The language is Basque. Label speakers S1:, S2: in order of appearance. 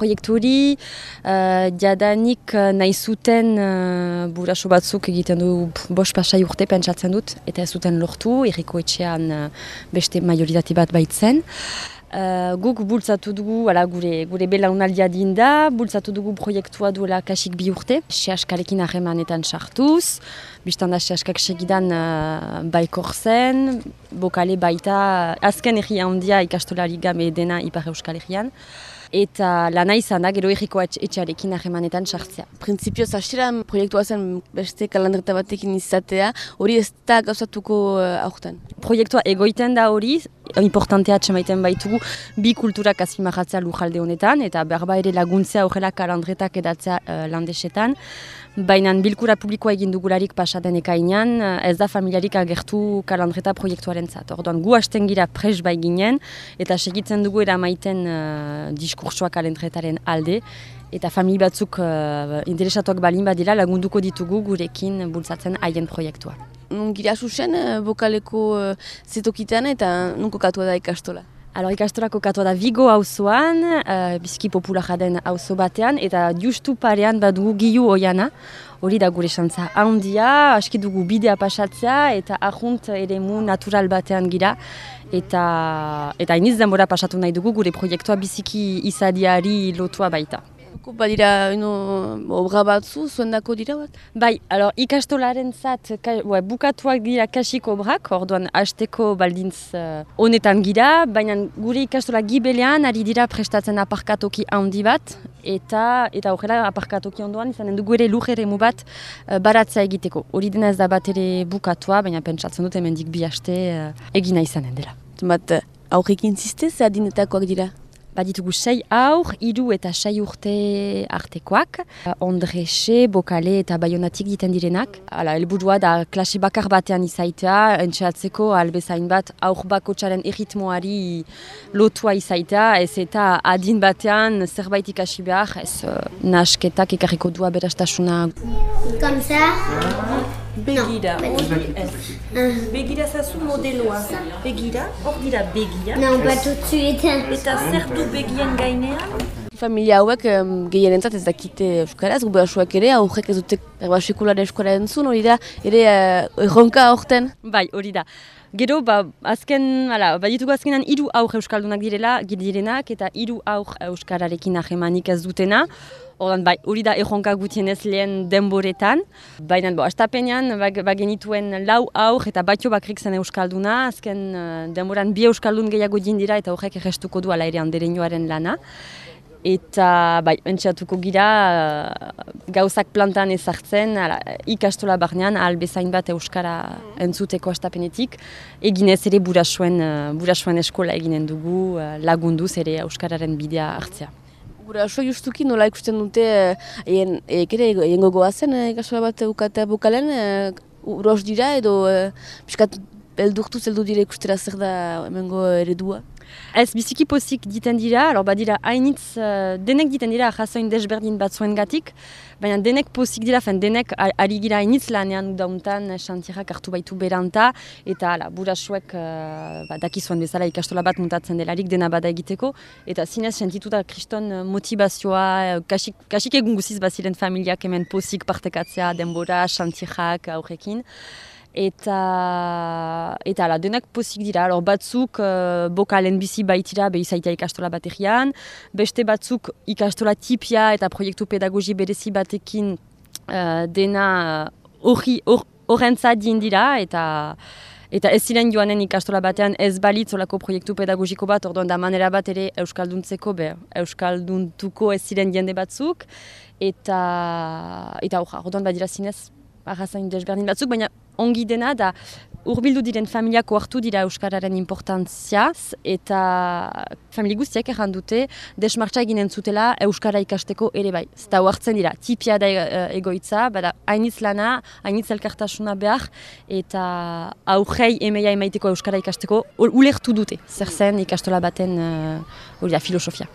S1: proiektu hori, jadanik nahi zuten buraso batzuk egiten du 5-6 urte pentsatzen dut, eta ez zuten lortu, Herriko Etxean beste majoritati bat baitzen. Guk bultzatu dugu, gure belaunaldia dinda, bultzatu dugu proiektua duela kasik 2 urte, sehaskarekin harremanetan sartuz, biztan da sehaskak segidan baikor zen, bokale baita azken herria handia ikastolari gabe dena Ipar Euskal Herrian, eta lana izan da gero Herriko Etxearekin harremanetan sartzea.
S2: Printzipioz hasieran proiektua zen beste kalandreta batekin izatea, hori ez da gauzatuko aurten?
S1: Proiektua egoiten da hori, importantea atxemaiten baitugu, bi kulturak azpimarratzea lujalde honetan, eta berba ere laguntzea horrela kalandretak edatzea landesetan. Baina bilkura publikoa egin dugularik pasaden ekainean, ez da familiarik agertu kalandreta proiektuaren zat. Orduan, gu hasten gira pres bai ginen, eta segitzen dugu eramaiten diskursoa kalandretaren alde, eta famili batzuk interesatuak balin badira lagunduko ditugu gurekin bultzatzen haien proiektua.
S2: Gira zuzen, bokaleko zetokitan eta nunko katua da ikastola?
S1: Ikastola kokatua da Vigo auzoan, biziki popularra den auzo batean, eta justu parean badugu Gilu Oiana, hori da gure xantza handia, aski dugu bidea pasatzea, eta ahunt eremu natural batean gira, eta iniz denbora pasatu nahi dugu gure proiektua biziki izadiari lotua baita.
S2: Badira obra batzu, zuendako dira bat?
S1: Bai, ikastolaren zat bukatuak dira kasik obrak, orduan hasteko baldintz honetan gira, baina gure ikastola gibelean ari dira prestatzen aparkatoki handi bat, eta horrela aparkatoki ondoan izanen dugu ere lurreremu bat baratzea egiteko. Hori dena ez da bat ere bukatua, baina pentsatzen dut hemendik 2 aste egina izanen dela.
S2: Bat aurrekin ziste, ze adinetakoak dira?
S1: Baditugu 6 haur, 3 eta 6 urte artekoak, Ondrexe, Bokale eta Baionatik diten direnak. Helburua da klase bakar batean izaitea, entxeatzeko albezain bat haur bakotxaren erritmoari lotua izaitea, ez eta adin batean zerbait ikasi behar, ez nasketak ekarriko dua berastasuna.
S3: Kamsa?
S4: Begira, hori ez. Begira zazu modeloa. Begira, hor dira begia.
S3: Non, pas tout de suite.
S4: Eta zer du begien gainean?
S2: Familia hauek gehierentzat ez dakite euskaraz, gubasuak ere, aurrek ez dute sekulare euskara entzun, hori da, ere erronka aurten?
S1: Bai, hori da. Gero, baditugu azkenan 3 haur euskaldunak direnak eta 3 haur euskararekin ahemanik ez dutena. Hori da erronka gutienez lehen denboretan. Baina, astapenean, bagenituen 4 haur eta batio bakrik zen euskalduna. Azken denboran 2 euskaldun gehiago dira eta horrek errestuko du ala ere andereñoaren lana. Eta entxeatuko gira gauzak plantan ezartzen, ikastola barnean bezain bat euskara entzuteko astapenetik. Eginez ere burasuen eskola eginen dugu lagunduz ere euskararen bidea hartzea.
S2: Guraso justuki nola ikusten dute egin gogoazen ikastola bat eukatea bokalen, uros dira edo piskat beldurtu zeldu dire ikustera zer da hemengo eredua?
S1: Ez biziki pozik diten dira, badira hainitz denek diten dira jasoin desberdin batzuen gatik, baina denek pozik dira, denek ari gira hainitz lanean dauntan xantierak hartu baitu beranta, eta burasuek dakizuen bezala ikastola bat mutatzen delarik dena bada egiteko, eta zinez sentituta kriston motivazioa, kasik egun guziz baziren familiak hemen pozik partekatzea denbora, xantierak aurrekin. Eta denak pozik dira, batzuk bokalen bizi baitira izaitea ikastola bategian, beste batzuk ikastola tipia eta proiektu pedagogi berezi batekin dena horrentzat dira, eta ez ziren joanen ikastola batean ez balitz olako proiektu pedagogiko bat, orduan da manera bat ere euskalduntzeko, euskalduntuko ez ziren jende batzuk, eta orduan badira zinez arrazain desberdin batzuk, baina ongi dena da hurbildu diren familiako hartu dira euskararen importantziaz, eta familia guztiak errandute desmartza eginen zutela euskara ikasteko ere bai. Zeta hartzen dira, tipia da egoitza, bada hainitz lana, hainitz elkartasuna behar, eta aurrei emeia emaiteko euskara ikasteko ulertu dute, zer zen ikastola baten filosofia.